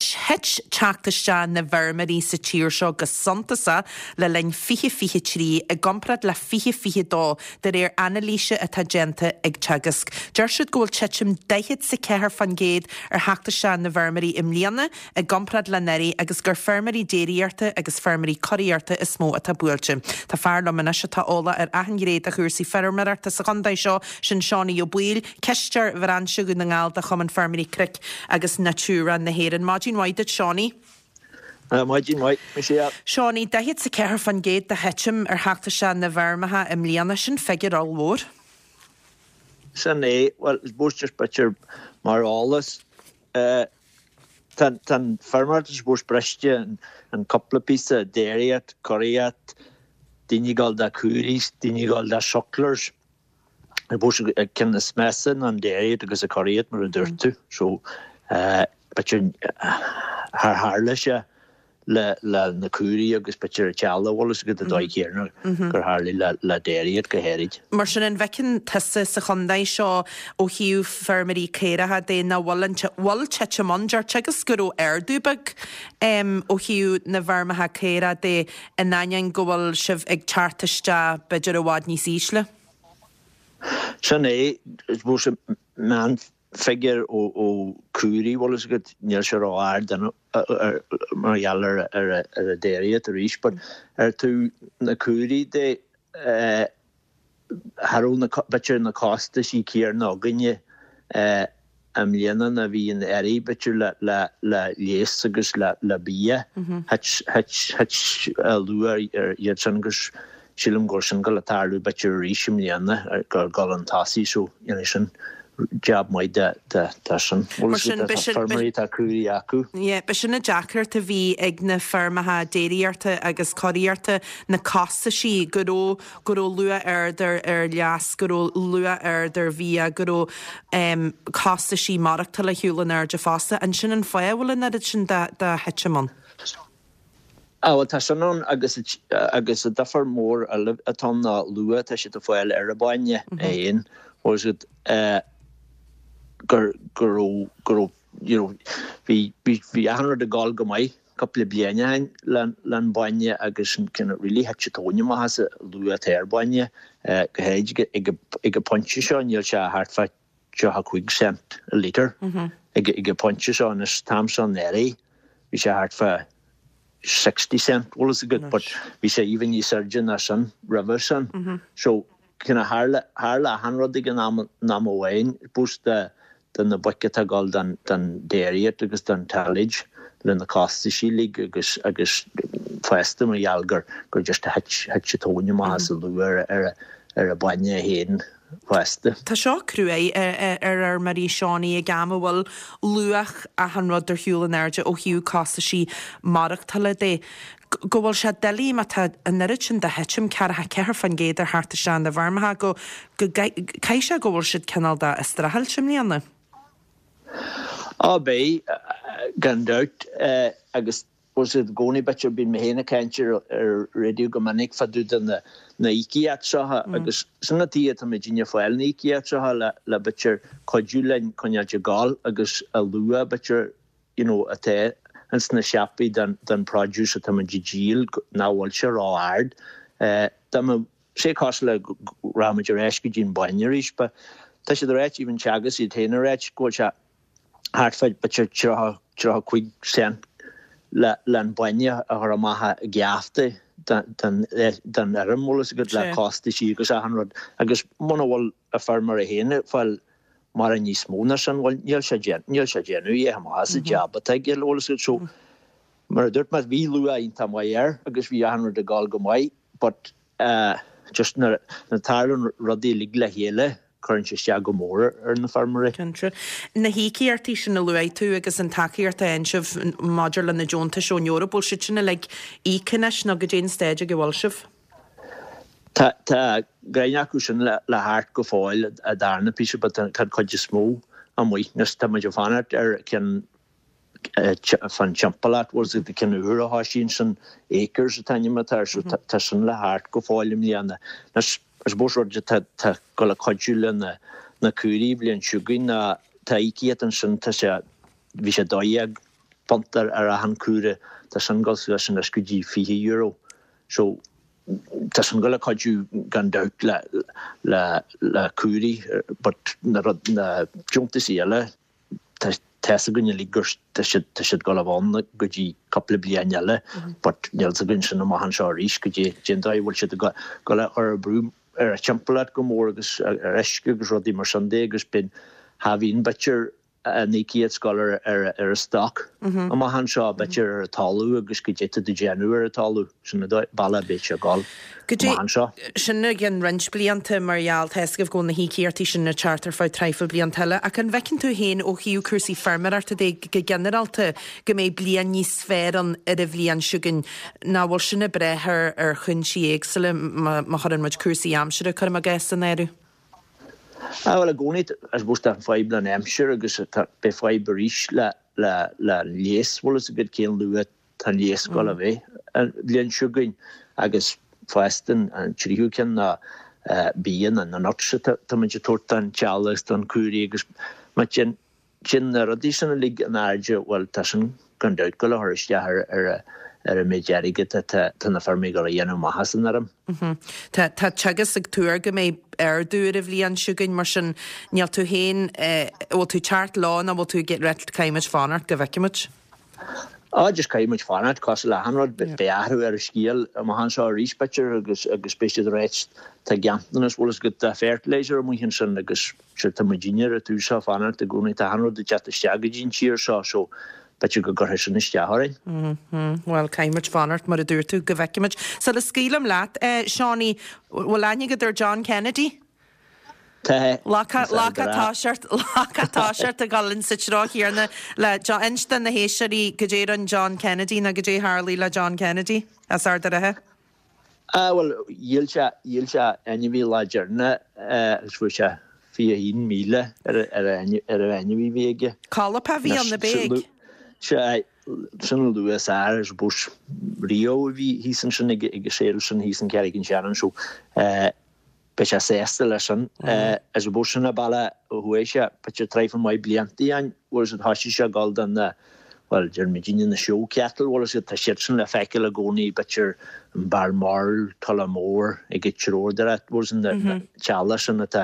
Anois, thit teacht isteach na bhfeirmeoirí sa tír seo go suntasach le linn 2023 i gcomparáid le 2022, de réir anailíse atá déanta ag Teagasc. Deir siad go bhfuil titim 44% ar theacht isteach na bhfeirmeoirí i mbliana i gcomparáid le anuraidh agus gur feirmeoirí déiríochta agus feirmeoirí curaíochta is mó atá buailte. Tá fear liom anois atá eolach ar achan ghné de chúrsaí feirmeoireachta sa chontae seo, sin Seánie Ó Baoill, Cisteoir Bhrainse Dhún na nGall de Chumann Feirmeoirí Cnoic agus Natura na hÉireann. Maidin mhaith duit, Seánie. Maidin mhaith, Michelle. Seánie, 44% de thitim ar theacht isteach na bhfeirmeacha i mbliana, sin figiúr ollmhór. Sin é, bhuel, I suppose just b'fhéidir mar eolas, tá an feirmeoireacht I suppose briste in cúpla píosa, déiríocht, curaíocht, daoine ag dul do caoirigh, daoine ag dul do sucklers. I suppose an ceann is measa ná an déiríocht agus an curaíocht mar a dúirt tú. So b'fhéidir char tharla sé le na caoirigh agus b'fhéidir an t-eallach bhfuil fhios agat an dóigh chéanna gur tharlaigh le déiríocht go háirid. Mar sin an bhfeiceann tusa sa chontae seo ó thaobh feirmeoirí caoracha de nach bhfuil an bhfuil titim ann? Deir Teagasc go raibh ardú beag ó thaobh na bhfeirmeacha caorach de in ainneoin go bhfuil sibh ag teacht isteach b'fhéidir i bhfad níos ísle. Sin é, I suppose, meánfhigiúr ó caoirigh, bhfuil fhios agat, níl sé ró-ard mar gheall ar an déiríocht arís, but ar taobh na caoirigh de, cha raibh na, b'fhéidir na costaisí céarna againne i mbliana ná bhí anuraidh, b'fhéidir le leigheas agus le bia. Thit, thit, thit luach ar iad sin agus sílim go bhfuil sin ag dul a tarlú b'fhéidir arís i mbliana, gur dul chun tosaigh so you know sin jab maith de, de, de sin. Bhfuil Mar sin, fhios agat, tá feirmeoirí atá caoirigh acu. Yeah, b'shin an deacracht a bhí ag na feirmeacha déiríochta agus curaíochta, na costaisí, go raibh go raibh luach ard ar ar leigheas, go raibh luach ard ar bhia, go raibh costaisí maireachtála ar shiúl in airde fosta. An sin an fáth a bhfuil an oiread sin de de thitim ann? Ah bhuel tá sin ann agus agus an difear mór eile atá ann ná luach atá siad ag fáil ar an bainne é féin. Bhfuil fhios agat gur go raibh go raibh you know bhí bhí bhí achan rud ag dul go maith cúpla bliain ó shin len bainne agus an kind of really thit an tóin amach as an luach atá ar bainne, go háirid ag an pointe seo níl sé thart fá 35 cent a litre ag an pointe seo anois an t-am seo anuraidh bhí sé thart fá 60 cent bhfuil fhios agat but bhí sé even níos airde ná sin roimhe sin so kind of tharla tharla achan rud ag an am am amháin suppose de do na boic atá ag dul don déiríocht agus don tillage le na costaisí uilig agus agus fosta mar gheall gur gur just thit thit an tóin amach as an luach ar ar an bainne é féin fosta. Tá seo cruaidh ar fheirmeoirí Seánie ag am a bhfuil luach achan rud ar shiúl in airde ó thaobh costaisí maireachtála de. Go bhfuil sé doiligh má tá an oiread sin de thitim, 44% ar theacht isteach na bhfeirmeacha, go go gcaithfidh sé go bhfuil siad cineál de ag streachailt i mbliana. Á beidh, gan dabht, agus bhfuil fhios agat i gcónaí b'fhéidir, bíonn mé féin ag caint ar ar raidió go minic fá dtaobh de na na íocaíocht seo agus sin an tuige atá muidinne ag fáil na íocaíocht seo le le b'fhéidir cuidiú linn coinneáilt ag gabháil agus an luach b'fhéidir you know atá ins na siopaí don don produce atá muid ag díol nach bhfuil sé ró-ard. Dá mbeadh sé cosúil le go rachaidh muid ar ais go dtí an bainne arís but tá siad ag ráit even Teagasc iad féin ag ráit go bhfuil sé thart fá b'fhéidir 30, 35 cent le le an bainne a chur amach i geafta don don don fheirm bhfuil fhios agat le costaisí agus achan rud agus muna bhfuil an feirmeoir é féin ag fáil mórán níos mó ná sin, bhuel, níl sé níl sé ag déanamh a dhath maith as an jab atá aige, bhfuil fhios agat. So, mar a dúirt mé, bhí luach iontach maith air agus bhí achan rud ag dul go maith but just nuair a tarlaíonn rudaí uilig le chéile, cuireann sé isteach go mór ar na feirmeoirí. Cinnte. Na híocaíochtaí sin a luaigh tú agus an tacaíocht a fhaigheann sibh maidir le na deontais ón Eoraip, bhfuil siad sin uilig íoctha anois nó goidé an staid ag a bhfuil sibh? Tá tá roinnt acu sin le theacht go fóill an darna píosa but tá an chuid is mó amuigh. Anois tá muid ag fanacht ar ceann fán timpeallacht, bhfuil fhios agat, ceann úr a thosaíonn sin, Acres an t-ainm atá air, so tá sin le theacht go fóill i mbliana. Anois I suppose rud atá ag dul a cuidiú le na na caoirigh an bhliain seo chugainn ná tá íocaíocht ansin, tá sé, bhí sé 12. punt ar achan cúra, tá sin ag dul suas anois go dtí €20. So tá sin ag dul a cuidiú gan dabht le le le cúraí but na rud na deontaisí eile tá tá fhios againn uilig gur tá siad tá siad ag dul a bheith ann go dtí cúpla bliain eile but níl fhios againn sin amach anseo arís go dtí cén dóigh a bhfuil siad ag dul a chur brú ar an timpeallacht go mór agus ar uisce agus rudaí mar sin de agus bíonn cha bhíonn b'fhéidir an íocaíocht ag dul ar an stoc amach anseo, b'fhéidir ar an talamh agus goidé tá tú déanamh ar an talamh, sin an bealach a bheidh sé ag dul amach anseo. Sin i gcionn roinnt blianta mar gheall, tá fhios agaibh go bhfuil na híocaíochtaí sin ag teacht ar feadh traidhfil blianta eile. Ach an bhfeiceann tú féin ó thaobh cúrsaí feirmeoireachta de go ginearálta go mbeidh bliain níos fearr ann ar an bhliain seo chugainn nó bhfuil sin ag brath ar chúinsí éagsúla má chuireann muid cúrsaí aimsire, cuirim i gcás, san áireamh? Ah bhuel i gcónaí I suppose tá an fadhb le an aimsir agus tá beidh fadhb arís le le le an léas bhfuil fhios agat cén luath tá an léas ag dul a bheith an bhliain seo chugainn agus fosta an an tríú ceann ná bia na na nuts atá tá muid ag tabhairt don teaghlach agus don cúraí agus má téann Téann na rudaí sin uilig in airde, bhuel, tá sin gan dabht ag dul a chur isteach ar ar an méid airgid atá tá na feirmeoirí ag dul a dhéanamh amach as an fheirm. Tá tá Teagasc ag tuar go mbeidh ardú ar an bhliain seo chugainn, mar sin níl tú féin, bhfuil tú ag teacht leo nó bhfuil tú ag rá caithfidh muid fanacht go bhfeicfidh muid? Á, just caithfidh muid fanacht, cosúil le achan rud, beidh athrú ar an scéal amach anseo arís, b'fhéidir, agus agus beidh siad ag ráit tá ganntanas, bhfuil fhios agat, de fertilizer amuigh ansin agus sure tá muidinne ar an taobh seo fanacht i gcónaí, tá achan rud ag teacht isteach go dtí an tír seo so b'fhéidir go gcuirfidh sin isteach orainn. Bhuel, caithfidh muid fanacht, mar a dúirt tú, go bhfeicfidh muid. Sula scaoilim leat, Seánie, bhfuil aithne agat ar John Kennedy? Tá. Lá toiseacht ag dul insa treo chéanna le John. Inis do na héisteoirí goidé rinne John Kennedy nó goidé tharlaigh le John Kennedy as Ard a' Rátha. Ah bhuel, dhíol sé, dhíol sé ainmhí lá deireanach agus fuair sé 21,000 ar an ainmhí a bhí aige. Collop a bhí ann, ab ea? Sea, sin an luach is fearr, I suppose, riamh a bhí thíos ansin ag an sale sin thíos in Carrick on Shannon so beidh sé sásta leis sin. I suppose sin an bealach a chuaigh sé, b'fhéidir traidhfil maith blianta ó shin, bhfuil fhios agat, thoisigh sé ag dul do na, bhuel, deir muidinne na show cattle, bhfuil fhios agat, tá siad sin le feiceáil i gcónaí, b'fhéidir in Balmoral, Tullamore, ag an treabhdóireacht, bhfuil fhios agat, na teaghlaigh sin atá,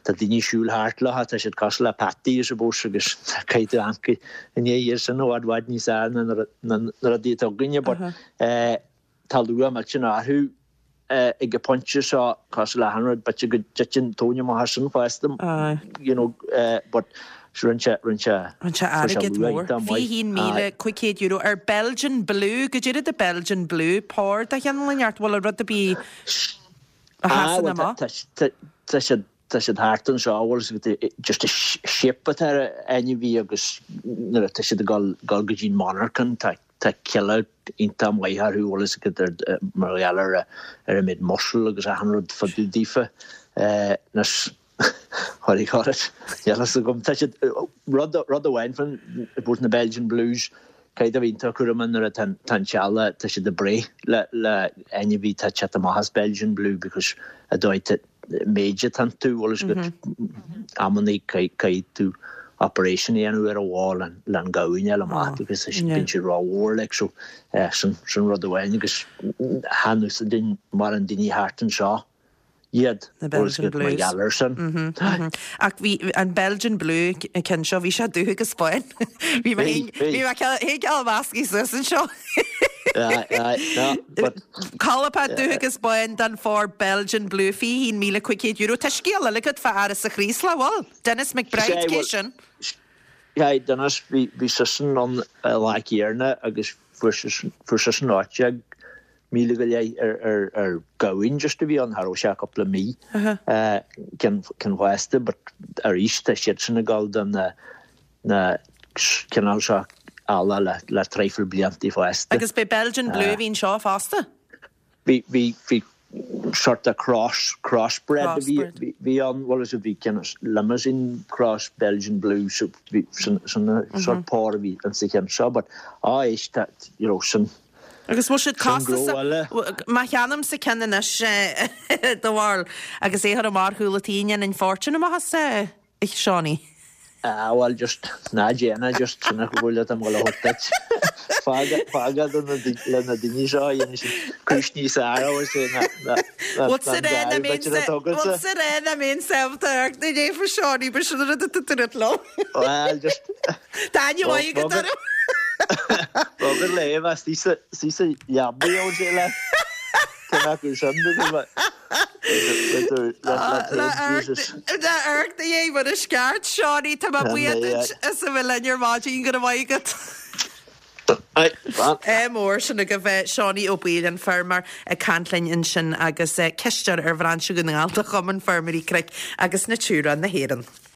tá daoine ag siúl thart leo, tá siad cosúil le peataí, I suppose, agus caithfidh tú amharc i ndiaidh iad sin i bhfad bhfad níos fearr ná na rudaí atá againne, but tá luach millteanach orthu. ag an bpointe seo, cosúil le achan rud, b'fhéidir go dtiteann tóin amach as sin fosta, you know, but rinne sé, rinne sé, Rinne sé airgead mór, €21,500 ar Belgian Blue, goidé rud é Belgian Blue, pór de chineál inteacht, bhfuil rud ar bith a sheasann amach? Tá siad, tá siad thart anseo, bhfuil fhios agat, just an shape atá ar an ainmhí agus nuair atá siad ag dul, dul go dtí'n monarchan, tá, Tá cille iontach maith orthu, bhfuil fhios agat, mar gheall ar ar an méid muscle agus achan rud fá dtaobh daofa. Anois, what do you call it? Níl fhios agam. Tá siad, rud, rud amháin faoin, I suppose na Belgian Blues, caithfidh tú a bheith iontach cúramach nuair atá an teaghlach, tá siad ag breith le, le ainmhí atá ag teacht amach as Belgian Blue because an dóigh méid atá iontu, bhfuil fhios agat, amannaí caithfidh tú operation a dhéanamh ar an bhó le an gamhain a fháil amach because bíonn siad rómhór like so sin sin rud amháin agus chan úsáideann mórán daoine thart anseo iad Na Belgian Blues. mar gheall air sin. Ach bhí an Belgian Blue ceann seo, bhí sé dubh agus bán. Bhí mé bhí mé cineál measctha suas anseo. Colpach dubh agus bán den phór Belgian Blue, €21,500. Tá scéal eile agat fá Áras an Chraoslaigh, bhfuil? Denis McBride, cé sin? Sea, Denis, bhí seisean ann an lá céanna agus fuair seisean 18,000 go leith ar ghamhain just a bhí ann, cha raibh sé ach cúpla mí ceann fásta but arís tá siadsan ag dul do na na cineál seo eallaigh le le traidhfil bliantaí fosta. Agus b'é Belgian Blue a bhí anseo fosta? Bhí, bhí, bhí sort of cross, crossbred a bhí, bhí, bhí ann, bhfuil fhios agat, bhí cineál Limousin cross Belgian Blue so bhí, sin, sin an sort pór a bhí insa cheann seo but á éist tá, you know, sin, Agus bhfuil siad costasach? Má cheannaímse ceann anois do bharúil agus é a chur amach ar chúl an tí, an ndéanfainn fortune amach as? A Seánie. Ah bhuel just ná déan é just sin an chomhairle atá mé ag dul a thabhairt duit. Fág fág é do na le na daoine seo a dhéanfaidh siad cúis níos fhearr a bhfuil sé ná ná ná Bhfuil sa ná rá na an mbeinn b'fhéidir a tógáil sa rá na mbeinn sábalta amharc na léifir Seánie ba sin an rud atá tú ag rá liom. Bhuel just Tá aithne mhaith agat orm. Bogad léamh as istigh sa leabaidh a bhfuil sé le. Cé acu sin Le amharc do dhéidh mar is ceart, Seánie, tá mé buíoch duit as a bheith linn ar maidin, go raibh maith agat. Ádh mór, sin agaibh Seánie Ó Baoill, an feirmeoir, ag caint linn ansin agus cisteoir ar Bhrainse Dhún na nGall de Chumann Feirmeoirí Cnoic agus Natura na hÉireann.